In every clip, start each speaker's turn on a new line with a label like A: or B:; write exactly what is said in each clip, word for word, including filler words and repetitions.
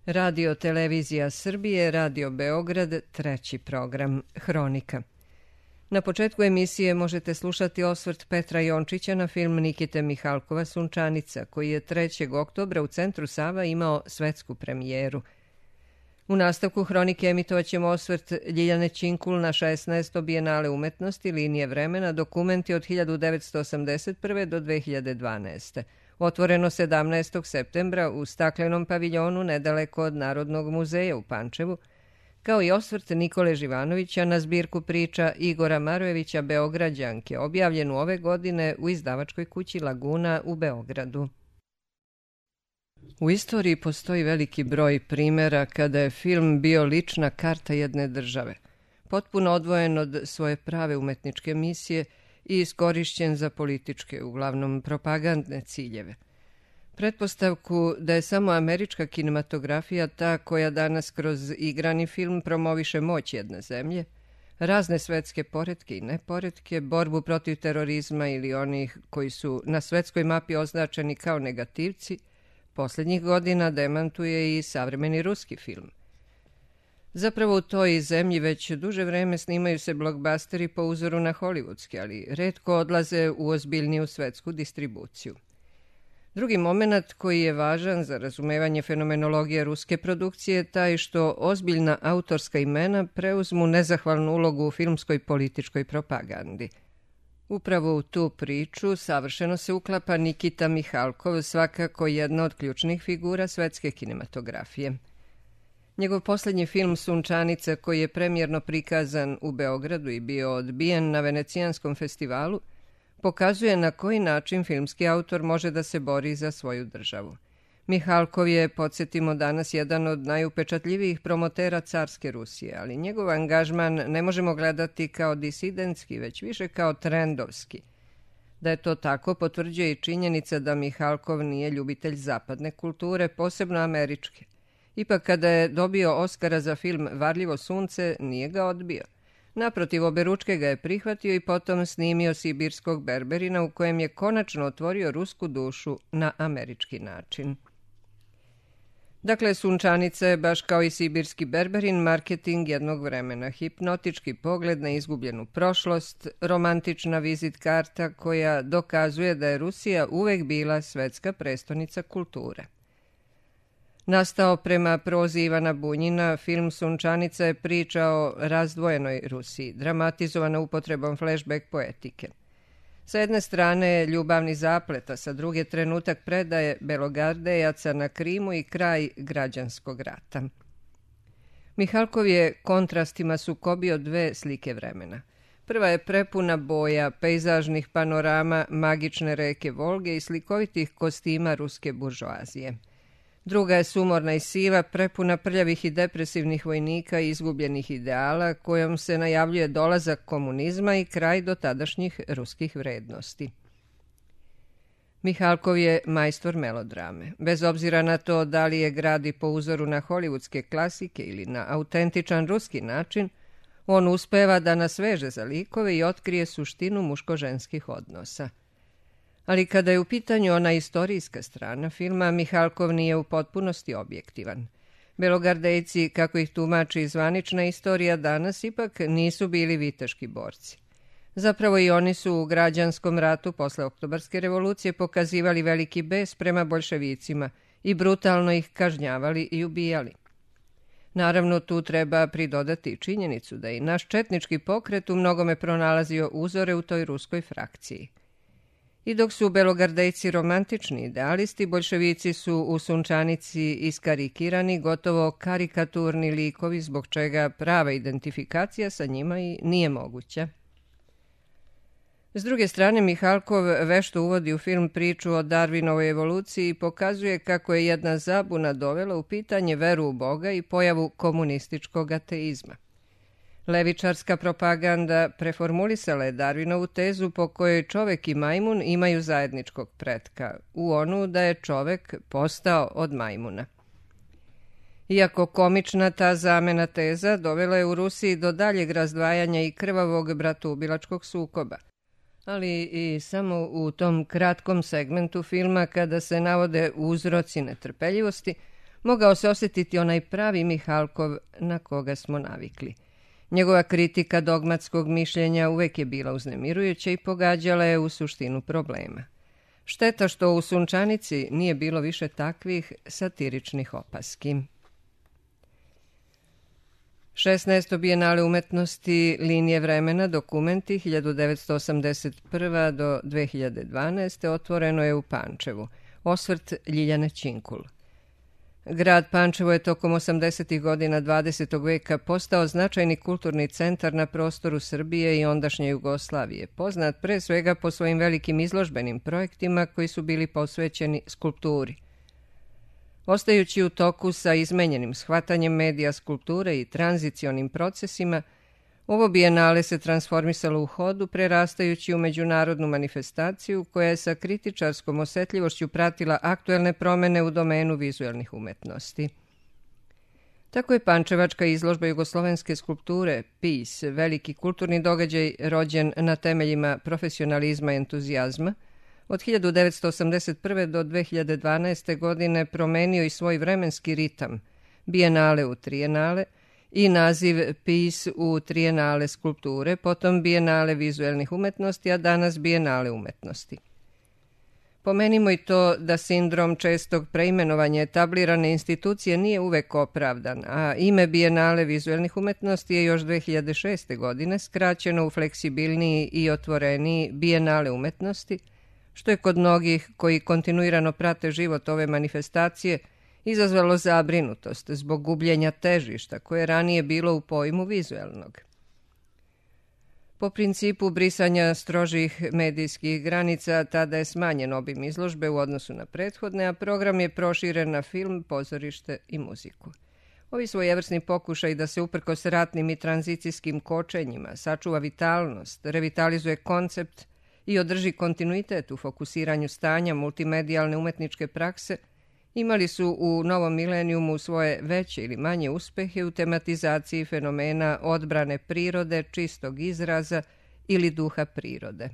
A: Radio Televizija Srbije, Radio Beograd, treći program, Hronika. Na početku emisije možete slušati osvrt Petra Jončića na film Nikite Mihalkova Sunčanica, koji je trećeg oktobra u Centru Sava imao svetsku premijeru. U nastavku Hronike emitovaćemo osvrt Ljiljane Činkul na šesnaesto Bijenale umetnosti Linije vremena, dokumenti od hiljadu devetsto osamdeset prve do dve hiljade dvanaeste. Otvoreno sedamnaestog septembra u staklenom paviljonu nedaleko od Narodnog muzeja u Pančevu, kao i osvrt Nikole Živanovića na zbirku priča Igora Marojevića Beograđanke, objavljenu ove godine u izdavačkoj kući Laguna u Beogradu. U istoriji postoji veliki broj primjera kada je film bio lična karta jedne države, potpuno odvojen od svoje prave umetničke misije i iskorišćen za političke, uglavnom propagandne ciljeve. Pretpostavku da je samo američka kinematografija ta koja danas kroz igrani film promoviše moć jedne zemlje, razne svetske poretke i neporetke, borbu protiv terorizma ili onih koji su na svetskoj mapi označeni kao negativci, posljednjih godina demantuje i savremeni ruski film. Zapravo u toj zemlji već duže vreme snimaju se blockbusteri po uzoru na hollywoodski, ali retko odlaze u ozbiljniju svetsku distribuciju. Drugi moment koji je važan za razumevanje fenomenologije ruske produkcije je taj što ozbiljna autorska imena preuzmu nezahvalnu ulogu u filmskoj političkoj propagandi. Upravo u tu priču savršeno se uklapa Nikita Mihalkov, svakako jedna od ključnih figura svetske kinematografije. Njegov posljednji film Sunčanica, koji je premijerno prikazan u Beogradu i bio odbijen na Venecijanskom festivalu, pokazuje na koji način filmski autor može da se bori za svoju državu. Mihalkov je, podsjetimo danas, jedan od najupečatljivijih promotera carske Rusije, ali njegov angažman ne možemo gledati kao disidentski, već više kao trendovski. Da je to tako potvrđuje i činjenica da Mihalkov nije ljubitelj zapadne kulture, posebno američke. Ipak kada je dobio Oskara za film Varljivo sunce, nije ga odbio. Naprotiv, oberučke ga je prihvatio i potom snimio Sibirskog berberina, u kojem je konačno otvorio rusku dušu na američki način. Dakle, Sunčanica je, baš kao i Sibirski berberin, marketing jednog vremena, hipnotički pogled na izgubljenu prošlost, romantična vizit karta koja dokazuje da je Rusija uvek bila svetska prestonica kulture. Nastao prema prozi Ivana Bunjina, film Sunčanica je priča o razdvojenoj Rusiji, dramatizovana upotrebom flashback poetike. Sa jedne strane ljubavni zaplet, a sa druge trenutak predaje Belogardejaca na Krimu i kraj građanskog rata. Mihalkov je kontrastima sukobio dve slike vremena. Prva je prepuna boja, pejzažnih panorama, magične reke Volge i slikovitih kostima ruske buržoazije. Druga je sumorna i siva, prepuna prljavih i depresivnih vojnika i izgubljenih ideala, kojom se najavljuje dolazak komunizma i kraj dotadašnjih ruskih vrednosti. Mihalkov je majstor melodrame. Bez obzira na to da li je gradi po uzoru na hollywoodske klasike ili na autentičan ruski način, on uspeva da nas veže za likove i otkrije suštinu muško-ženskih odnosa. Ali kada je u pitanju ona istorijska strana filma, Mihalkov nije u potpunosti objektivan. Belogardejci, kako ih tumači zvanična istorija danas, ipak nisu bili viteški borci. Zapravo i oni su u građanskom ratu posle Oktobarske revolucije pokazivali veliki bes prema boljševicima i brutalno ih kažnjavali i ubijali. Naravno, tu treba pridodati činjenicu da i naš četnički pokret u mnogome pronalazio uzore u toj ruskoj frakciji. I dok su belogardejci romantični idealisti, boljševici su u Sunčanici iskarikirani, gotovo karikaturni likovi, zbog čega prava identifikacija sa njima i nije moguća. S druge strane, Mihalkov vešto uvodi u film priču o Darwinovoj evoluciji i pokazuje kako je jedna zabuna dovela u pitanje veru u Boga i pojavu komunističkog ateizma. Levičarska propaganda preformulisala je Darwinovu tezu po kojoj čovek i majmun imaju zajedničkog pretka, u onu da je čovek postao od majmuna. Iako komična, ta zamena teza dovela je u Rusiji do daljeg razdvajanja i krvavog bratoubilačkog sukoba. Ali i samo u tom kratkom segmentu filma kada se navode uzroci netrpeljivosti, mogao se osjetiti onaj pravi Mihalkov na koga smo navikli. Njegova kritika dogmatskog mišljenja uvek je bila uznemirujuća i pogađala je u suštinu problema. Šteta što u Sunčanici nije bilo više takvih satiričnih opaski. šesnaesto Bijenale umetnosti Linije vremena, dokumenti hiljadu devetsto osamdeset prva do dve hiljade dvanaeste otvoreno je u Pančevu. Osvrt Ljiljane Činkul. Grad Pančevo je tokom osamdesetih godina dvadesetog veka postao značajni kulturni centar na prostoru Srbije i ondašnje Jugoslavije, poznat pre svega po svojim velikim izložbenim projektima koji su bili posvećeni skulpturi. Ostajući u toku sa izmenjenim shvatanjem medija skulpture i tranzicionim procesima, ovo bijenale se transformisalo u hodu, prerastajući u međunarodnu manifestaciju koja je sa kritičarskom osetljivošću pratila aktuelne promene u domenu vizuelnih umetnosti. Tako je pančevačka izložba jugoslovenske skulpture P I S, veliki kulturni događaj rođen na temeljima profesionalizma i entuzijazma, od hiljadu devetsto osamdeset prve do dve hiljade dvanaeste. godine promenio i svoj vremenski ritam, bijenale u trijenale, i naziv P I S u trijenale skulpture, potom bijenale vizuelnih umetnosti, a danas bijenale umetnosti. Pomenimo i to da sindrom čestog preimenovanja etablirane institucije nije uvek opravdan, a ime bijenale vizuelnih umetnosti je još dve hiljade šeste. godine skraćeno u fleksibilniji i otvoreniji bijenale umetnosti, što je kod mnogih koji kontinuirano prate život ove manifestacije izazvalo zabrinutost zbog gubljenja težišta koje je ranije bilo u pojmu vizuelnog. Po principu brisanja strožih medijskih granica tada je smanjen obim izložbe u odnosu na prethodne, a program je proširen na film, pozorište i muziku. Ovi svojevrsni pokušaj da se uprkos ratnim i tranzicijskim kočenjima sačuva vitalnost, revitalizuje koncept i održi kontinuitet u fokusiranju stanja multimedijalne umetničke prakse, imali su u novom milenijumu svoje veće ili manje uspehe u tematizaciji fenomena odbrane prirode, čistog izraza ili duha prirode.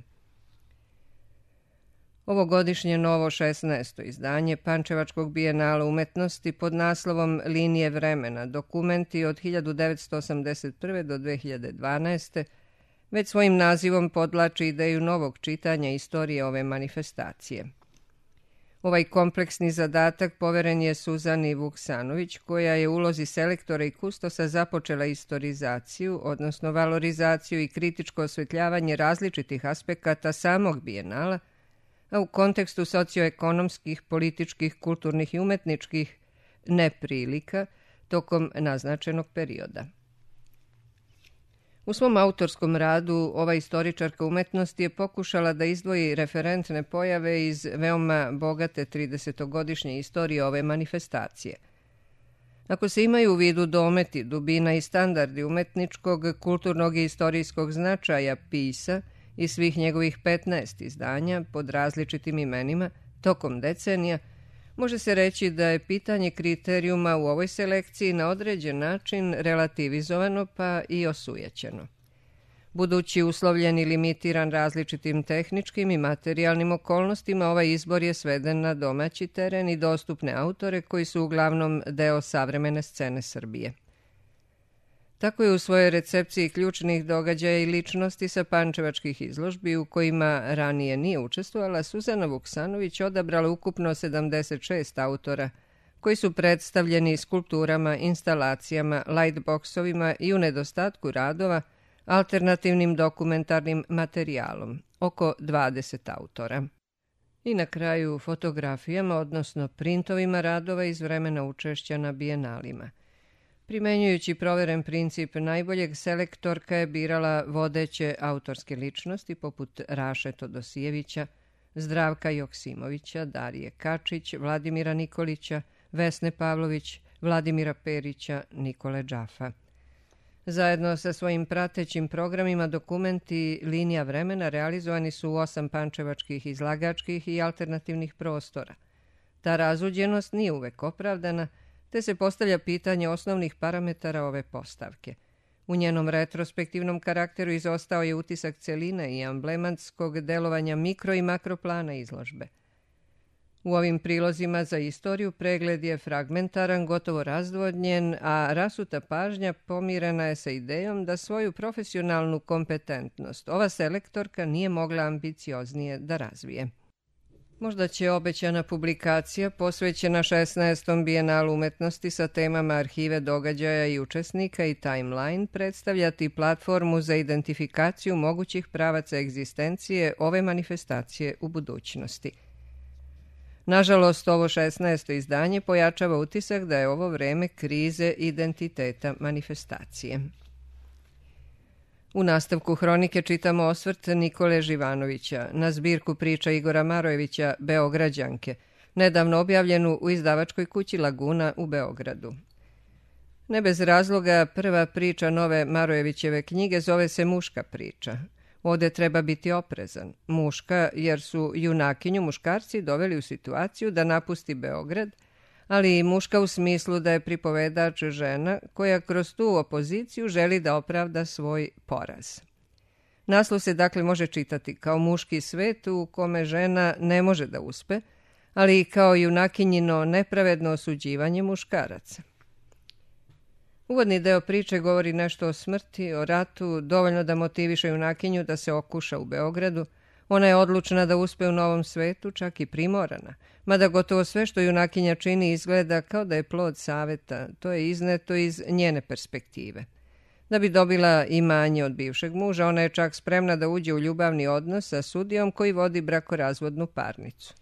A: Ovogodišnje novo šesnaesto izdanje Pančevačkog bijenala umetnosti pod naslovom Linije vremena, dokumenti od hiljadu devetsto osamdeset prve. do dve hiljade dvanaeste. već svojim nazivom podlači ideju novog čitanja istorije ove manifestacije. Ovaj kompleksni zadatak poveren je Suzani Vuksanović, koja je u ulozi selektora i kustosa započela istorizaciju, odnosno valorizaciju i kritičko osvetljavanje različitih aspekata samog bijenala, a u kontekstu socioekonomskih, političkih, kulturnih i umetničkih neprilika tokom naznačenog perioda. U svom autorskom radu ova istoričarka umetnosti je pokušala da izdvoji referentne pojave iz veoma bogate tridesetogodišnje istorije ove manifestacije. Ako se imaju u vidu dometi, dubina i standardi umetničkog, kulturnog i istorijskog značaja P I S-a i svih njegovih petnaest izdanja pod različitim imenima tokom decenija, može se reći da je pitanje kriterijuma u ovoj selekciji na određen način relativizovano pa i osujećeno. Budući uslovljen i limitiran različitim tehničkim i materijalnim okolnostima, ovaj izbor je sveden na domaći teren i dostupne autore koji su uglavnom deo savremene scene Srbije. Tako je u svojoj recepciji ključnih događaja i ličnosti sa pančevačkih izložbi u kojima ranije nije učestvovala, Suzana Vuksanović odabrala ukupno sedamdeset šest autora koji su predstavljeni skulpturama, instalacijama, lightboxovima i u nedostatku radova alternativnim dokumentarnim materijalom, oko dvadeset autora. I na kraju fotografijama, odnosno printovima radova iz vremena učešća na bijenalima. Primenjujući proveren princip najboljeg, selektorka je birala vodeće autorske ličnosti poput Raše Todosijevića, Zdravka Joksimovića, Darije Kačić, Vladimira Nikolića, Vesne Pavlović, Vladimira Perića, Nikole Džafa. Zajedno sa svojim pratećim programima dokumenti Linija vremena realizovani su u osam pančevačkih izlagačkih i alternativnih prostora. Ta razuđenost nije uvek opravdana, te se postavlja pitanje osnovnih parametara ove postavke. U njenom retrospektivnom karakteru izostao je utisak celine i amblematskog delovanja mikro i makroplana izložbe. U ovim prilozima za istoriju pregled je fragmentaran, gotovo razdvodnjen, a rasuta pažnja pomirena je sa idejom da svoju profesionalnu kompetentnost ova selektorka nije mogla ambicioznije da razvije. Možda će obećana publikacija posvećena šesnaestom bijenalu umetnosti sa temama arhive događaja i učesnika i timeline predstavljati platformu za identifikaciju mogućih pravaca egzistencije ove manifestacije u budućnosti. Nažalost, ovo šesnaesto izdanje pojačava utisak da je ovo vreme krize identiteta manifestacije. U nastavku hronike čitamo osvrt Nikole Živanovića na zbirku priča Igora Marojevića Beograđanke, nedavno objavljenu u izdavačkoj kući Laguna u Beogradu. Ne bez razloga prva priča nove Marojevićeve knjige zove se Muška priča. Ovde treba biti oprezan. Muška, jer su junakinju muškarci doveli u situaciju da napusti Beograd, ali i muška u smislu da je pripovedač žena koja kroz tu opoziciju želi da opravda svoj poraz. Naslov se dakle može čitati kao muški svet u kome žena ne može da uspe, ali i kao junakinjino nepravedno osuđivanje muškaraca. Uvodni deo priče govori nešto o smrti, o ratu, dovoljno da motiviše junakinju da se okuša u Beogradu. Ona je odlučna da uspe u novom svetu, čak i primorana, mada gotovo sve što junakinja čini izgleda kao da je plod saveta, to je izneto iz njene perspektive. Da bi dobila imanje od bivšeg muža, ona je čak spremna da uđe u ljubavni odnos sa sudijom koji vodi brakorazvodnu parnicu.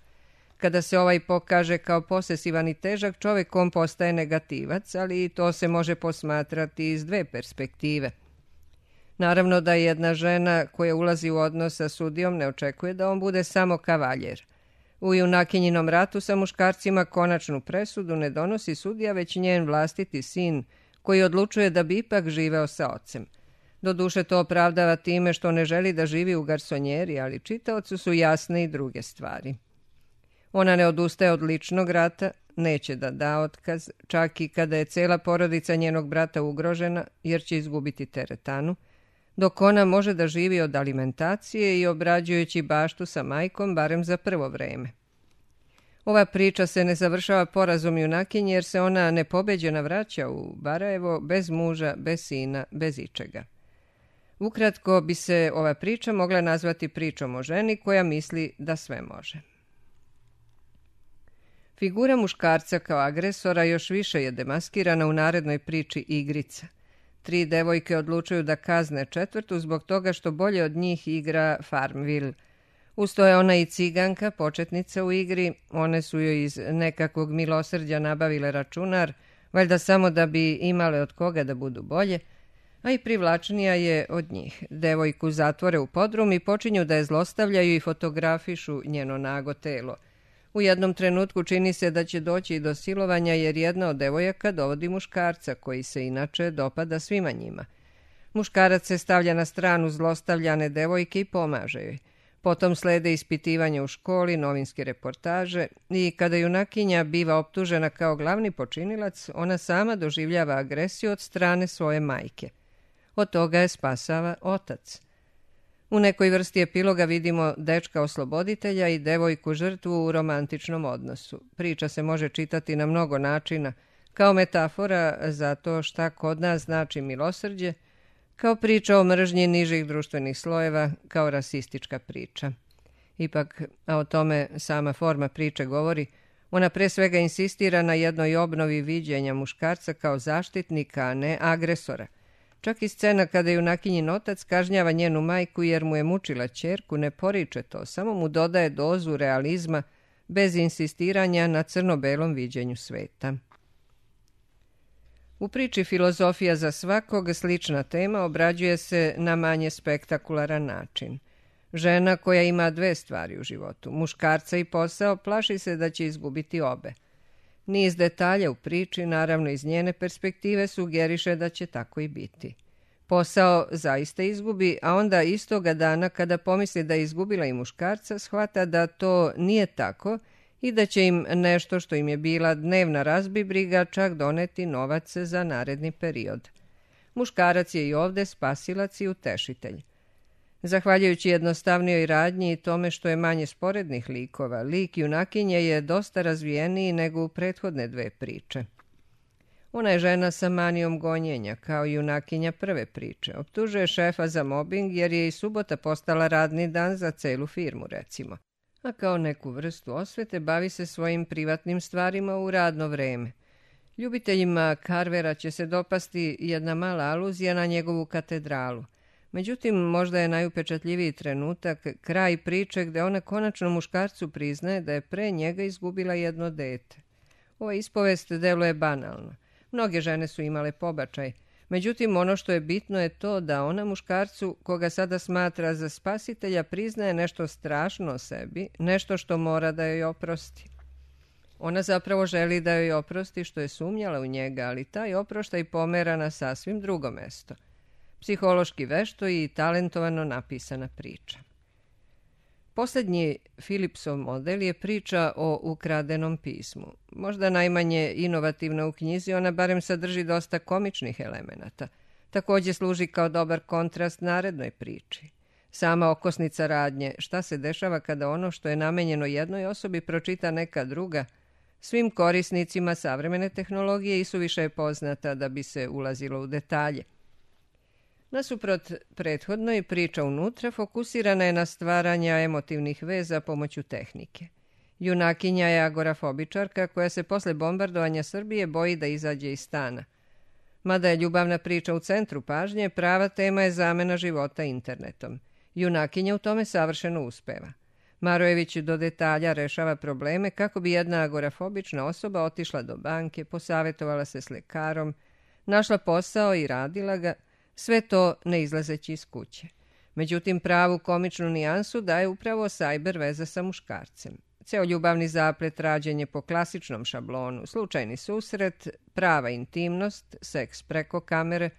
A: Kada se ovaj pokaže kao posesivan i težak, čovjek on postaje negativac, ali i to se može posmatrati iz dve perspektive. Naravno da jedna žena koja ulazi u odnos sa sudijom ne očekuje da on bude samo kavaljer. U junakinjinom ratu sa muškarcima konačnu presudu ne donosi sudija, već njen vlastiti sin, koji odlučuje da bi ipak živeo sa ocem. Doduše to opravdava time što ne želi da živi u garsonjeri, ali čitaocu su jasne i druge stvari. Ona ne odustaje od ličnog rata, neće da da otkaz, čak i kada je cela porodica njenog brata ugrožena, jer će izgubiti teretanu, dok ona može da živi od alimentacije i obrađujući baštu sa majkom, barem za prvo vreme. Ova priča se ne završava porazom junakinje, jer se ona nepobeđena vraća u Barajevo bez muža, bez sina, bez ičega. Ukratko bi se ova priča mogla nazvati pričom o ženi koja misli da sve može. Figura muškarca kao agresora još više je demaskirana u narednoj priči Igrica. Tri devojke odlučuju da kazne četvrtu zbog toga što bolje od njih igra Farmville. Usto je ona i ciganka, početnica u igri, one su joj iz nekakvog milosrđa nabavile računar, valjda samo da bi imale od koga da budu bolje, a i privlačnija je od njih. Devojku zatvore u podrum i počinju da je zlostavljaju i fotografišu njeno nago telo. U jednom trenutku čini se da će doći i do silovanja jer jedna od devojaka dovodi muškarca koji se inače dopada svima njima. Muškarac se stavlja na stranu zlostavljane devojke i pomaže joj. Potom slede ispitivanje u školi, novinske reportaže i kada junakinja biva optužena kao glavni počinilac, ona sama doživljava agresiju od strane svoje majke. Od toga je spasava otac. U nekoj vrsti epiloga vidimo dečka osloboditelja i devojku žrtvu u romantičnom odnosu. Priča se može čitati na mnogo načina, kao metafora za to šta kod nas znači milosrđe, kao priča o mržnji nižih društvenih slojeva, kao rasistička priča. Ipak, a o tome sama forma priče govori, ona pre svega insistira na jednoj obnovi viđenja muškarca kao zaštitnika, a ne agresora. Čak i scena kada junakinjin otac kažnjava njenu majku jer mu je mučila ćerku ne poriče to, samo mu dodaje dozu realizma bez insistiranja na crno-belom viđenju sveta. U priči Filozofija za svakog slična tema obrađuje se na manje spektakularan način. Žena koja ima dve stvari u životu, muškarca i posao, plaši se da će izgubiti obe. Niz detalja u priči, naravno iz njene perspektive, sugeriše da će tako i biti. Posao zaista izgubi, a onda istoga dana kada pomisli da je izgubila i muškarca, shvata da to nije tako i da će im nešto što im je bila dnevna razbibriga čak doneti novac za naredni period. Muškarac je i ovde spasilac i utešitelj. Zahvaljujući jednostavnijoj radnji i tome što je manje sporednih likova, lik junakinje je dosta razvijeniji nego u prethodne dve priče. Ona je žena sa manijom gonjenja, kao i junakinja prve priče. Optužuje šefa za mobing jer je i subota postala radni dan za celu firmu, recimo. A kao neku vrstu osvete bavi se svojim privatnim stvarima u radno vreme. Ljubiteljima Carvera će se dopasti jedna mala aluzija na njegovu katedralu. Međutim, možda je najupečatljiviji trenutak kraj priče gde ona konačno muškarcu priznaje da je pre njega izgubila jedno dete. Ova ispovest deluje banalno. Mnoge žene su imale pobačaj. Međutim, ono što je bitno je to da ona muškarcu, koga sada smatra za spasitelja, priznaje nešto strašno o sebi, nešto što mora da joj oprosti. Ona zapravo želi da joj oprosti što je sumnjala u njega, ali taj oproštaj pomera na sasvim drugo mesto. Psihološki vešto i talentovano napisana priča. Posljednji Philipsov model je priča o ukradenom pismu. Možda najmanje inovativna u knjizi, ona barem sadrži dosta komičnih elemenata. Također služi kao dobar kontrast narednoj priči. Sama okosnica radnje, šta se dešava kada ono što je namenjeno jednoj osobi pročita neka druga, svim korisnicima savremene tehnologije isuviše je poznata da bi se ulazilo u detalje. Nasuprot prethodnoj, priča unutra fokusirana je na stvaranja emotivnih veza pomoću tehnike. Junakinja je agorafobičarka koja se posle bombardovanja Srbije boji da izađe iz stana. Mada je ljubavna priča u centru pažnje, prava tema je zamena života internetom. Junakinja u tome savršeno uspeva. Marojević do detalja rešava probleme kako bi jedna agorafobična osoba otišla do banke, posavetovala se s lekarom, našla posao i radila ga, sve to ne izlazeći iz kuće. Međutim, pravu komičnu nijansu daje upravo sajber veza sa muškarcem. Ceo ljubavni zaplet rađen je po klasičnom šablonu, slučajni susret, prava intimnost, seks preko kamere,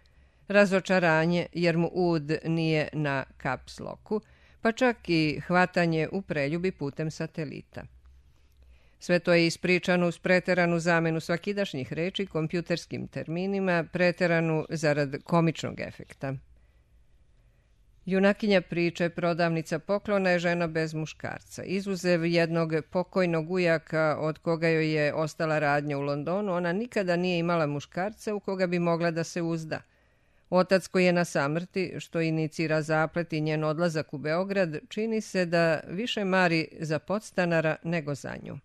A: razočaranje jer mu ud nije na caps locku, pa čak i hvatanje u preljubi putem satelita. Sve to je ispričano uz preteranu zamenu svakidašnjih reči kompjuterskim terminima, preteranu zarad komičnog efekta. Junakinja priče, prodavnica poklona, je žena bez muškarca. Izuzev jednog pokojnog ujaka od koga joj je ostala radnja u Londonu, ona nikada nije imala muškarca u koga bi mogla da se uzda. Otac koji je na samrti, što inicira zaplet i njen odlazak u Beograd, čini se da više mari za podstanara nego za nju.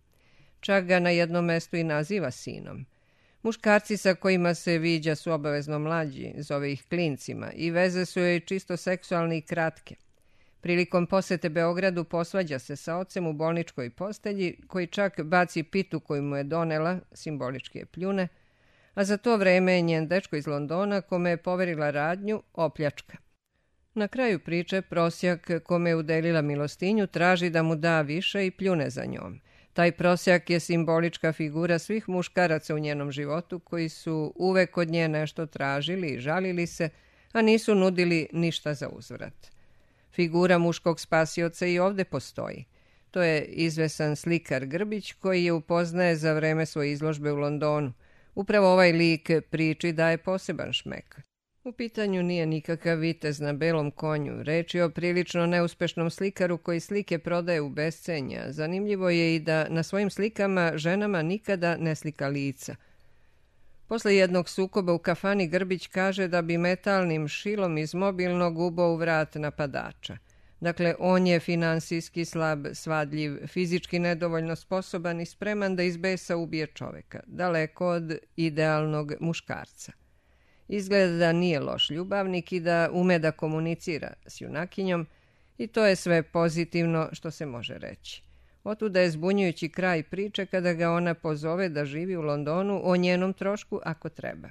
A: Čak ga na jednom mestu i naziva sinom. Muškarci sa kojima se viđa su obavezno mlađi, zove ih klincima, i veze su joj čisto seksualne i kratke. Prilikom posete Beogradu posvađa se sa ocem u bolničkoj postelji, koji čak baci pitu koju mu je donela, simbolički je pljune, a za to vreme je njen dečko iz Londona, kome je poverila radnju, opljačka. Na kraju priče prosjak kome je udelila milostinju traži da mu da više i pljune za njom. Taj prosjak je simbolička figura svih muškaraca u njenom životu koji su uvek od nje nešto tražili i žalili se, a nisu nudili ništa za uzvrat. Figura muškog spasioca i ovde postoji. To je izvesan slikar Grbić koji je upoznaje za vreme svoje izložbe u Londonu. Upravo ovaj lik priči daje poseban šmek. U pitanju nije nikakav vitez na belom konju, reč je o prilično neuspešnom slikaru koji slike prodaje u bescenja. Zanimljivo je i da na svojim slikama ženama nikada ne slika lica. Posle jednog sukoba u kafani Grbić kaže da bi metalnim šilom iz mobilnog ubao u vrat napadača. Dakle, on je finansijski slab, svadljiv, fizički nedovoljno sposoban i spreman da iz besa ubije čoveka, daleko od idealnog muškarca. Izgleda da nije loš ljubavnik i da ume da komunicira s junakinjom i to je sve pozitivno što se može reći. Otuda je zbunjujući kraj priče kada ga ona pozove da živi u Londonu o njenom trošku ako treba.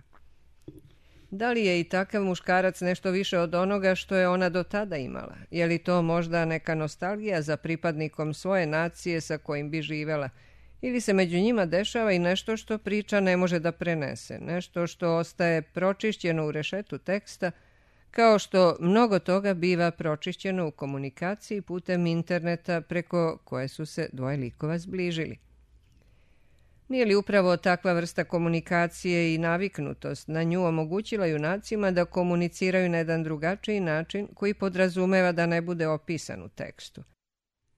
A: Da li je i takav muškarac nešto više od onoga što je ona do tada imala? Je li to možda neka nostalgija za pripadnikom svoje nacije sa kojim bi živela? Ili se među njima dešava i nešto što priča ne može da prenese, nešto što ostaje pročišćeno u rešetu teksta, kao što mnogo toga biva pročišćeno u komunikaciji putem interneta preko koje su se dvoje likova zbližili. Nije li upravo takva vrsta komunikacije i naviknutost na nju omogućila junacima da komuniciraju na jedan drugačiji način koji podrazumeva da ne bude opisan u tekstu?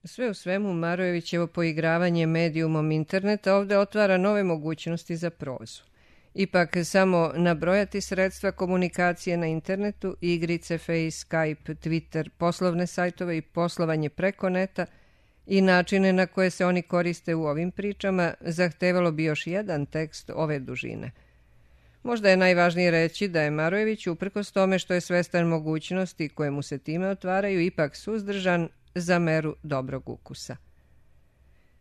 A: Sve u svemu, Marojevićevo poigravanje medijumom interneta ovdje otvara nove mogućnosti za prozu. Ipak samo nabrojati sredstva komunikacije na internetu, igrice, Face, Skype, Twitter, poslovne sajtove i poslovanje preko neta i načine na koje se oni koriste u ovim pričama zahtevalo bi još jedan tekst ove dužine. Možda je najvažnije reći da je Marojević, uprkos tome što je svestan mogućnosti koje mu se time otvaraju, ipak suzdržan za meru dobrog ukusa.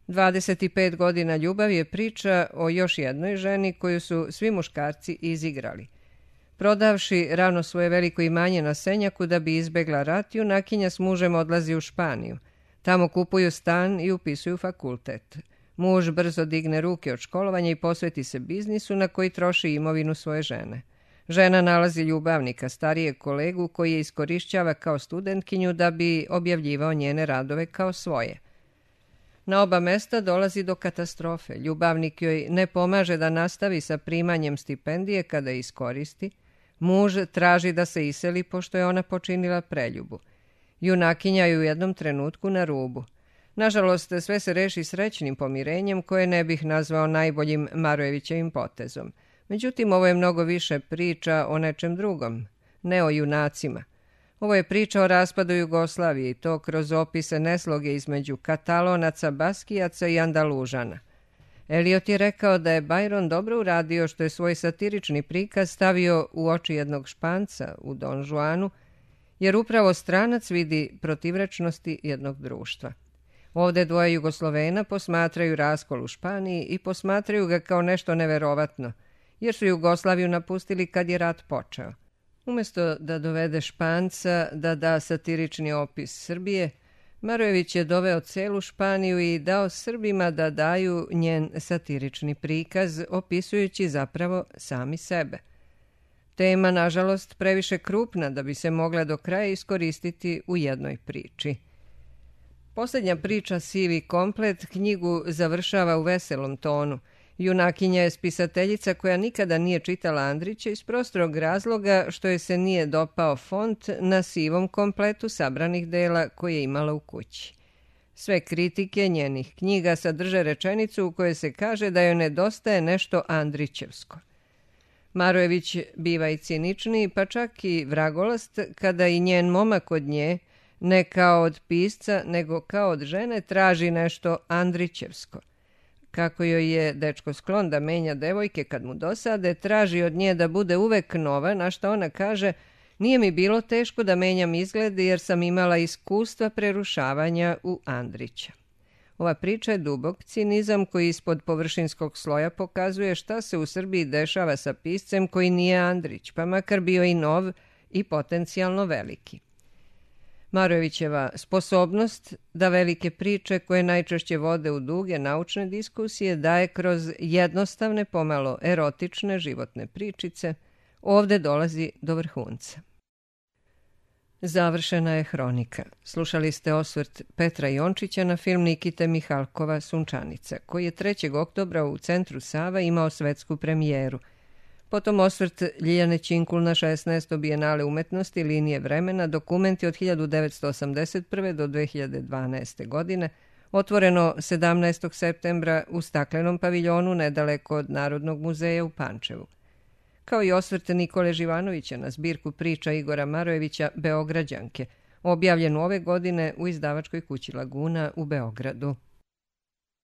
A: dvadeset pet godina ljubav je priča o još jednoj ženi koju su svi muškarci izigrali. Prodavši rano svoje veliko imanje na Senjaku da bi izbegla rat, junakinja s mužem odlazi u Španiju. Tamo kupuju stan i upisuju fakultet. Muž brzo digne ruke od školovanja i posveti se biznisu na koji troši imovinu svoje žene. Žena nalazi ljubavnika, starijeg kolegu koji je iskorišćava kao studentkinju da bi objavljivao njene radove kao svoje. Na oba mesta dolazi do katastrofe. Ljubavnik joj ne pomaže da nastavi sa primanjem stipendije kada je iskoristi. Muž traži da se iseli pošto je ona počinila preljubu. Junakinja je u jednom trenutku na rubu. Nažalost, sve se reši srećnim pomirenjem koje ne bih nazvao najboljim Marojevićevim potezom. Međutim, ovo je mnogo više priča o nečem drugom, ne o junacima. Ovo je priča o raspadu Jugoslavije i to kroz opise nesloge između Katalonaca, Baskijaca i Andalužana. Eliot je rekao da je Byron dobro uradio što je svoj satirični prikaz stavio u oči jednog Španca u Don Juanu, jer upravo stranac vidi protivrečnosti jednog društva. Ovdje dvoje Jugoslovena posmatraju raskol u Španiji i posmatraju ga kao nešto neverovatno, jer su Jugoslaviju napustili kad je rat počeo. Umjesto da dovede Španca da da satirični opis Srbije, Marojević je doveo celu Španiju i dao Srbima da daju njen satirični prikaz, opisujući zapravo sami sebe. Tema, nažalost, previše krupna da bi se mogla do kraja iskoristiti u jednoj priči. Posljednja priča Sivi komplet knjigu završava u veselom tonu. Junakinja je spisateljica koja nikada nije čitala Andrića iz prostorog razloga što je se nije dopao font na sivom kompletu sabranih dela koje je imala u kući. Sve kritike njenih knjiga sadrže rečenicu u kojoj se kaže da joj nedostaje nešto Andrićevsko. Marojević biva i ciničniji, pa čak i vragolast, kada i njen momak od nje, ne kao od pisca, nego kao od žene, traži nešto Andrićevsko. Kako joj je dečko sklon da menja devojke kad mu dosade, traži od nje da bude uvek nova, na što ona kaže: nije mi bilo teško da menjam izgled jer sam imala iskustva prerušavanja u Andrića. Ova priča je dubok cinizam koji ispod površinskog sloja pokazuje šta se u Srbiji dešava sa piscem koji nije Andrić, pa makar bio i nov i potencijalno veliki. Marojevićeva sposobnost da velike priče koje najčešće vode u duge naučne diskusije daje kroz jednostavne, pomalo erotične životne pričice, ovdje dolazi do vrhunca. Završena je hronika. Slušali ste osvrt Petra Jončića na film Nikite Mihalkova Sunčanica, koji je trećeg oktobra u Centru Sava imao svetsku premijeru. Potom osvrt Ljiljane Činkul na šesnaesto Bijenale umetnosti linije vremena, dokumenti od hiljadu devetsto osamdeset prve do dve hiljade dvanaeste. godine, otvoreno sedamnaestog septembra u staklenom paviljonu nedaleko od Narodnog muzeja u Pančevu. Kao i osvrt Nikole Živanovića na zbirku priča Igora Marojevića Beograđanke, objavljenu ove godine u izdavačkoj kući Laguna u Beogradu.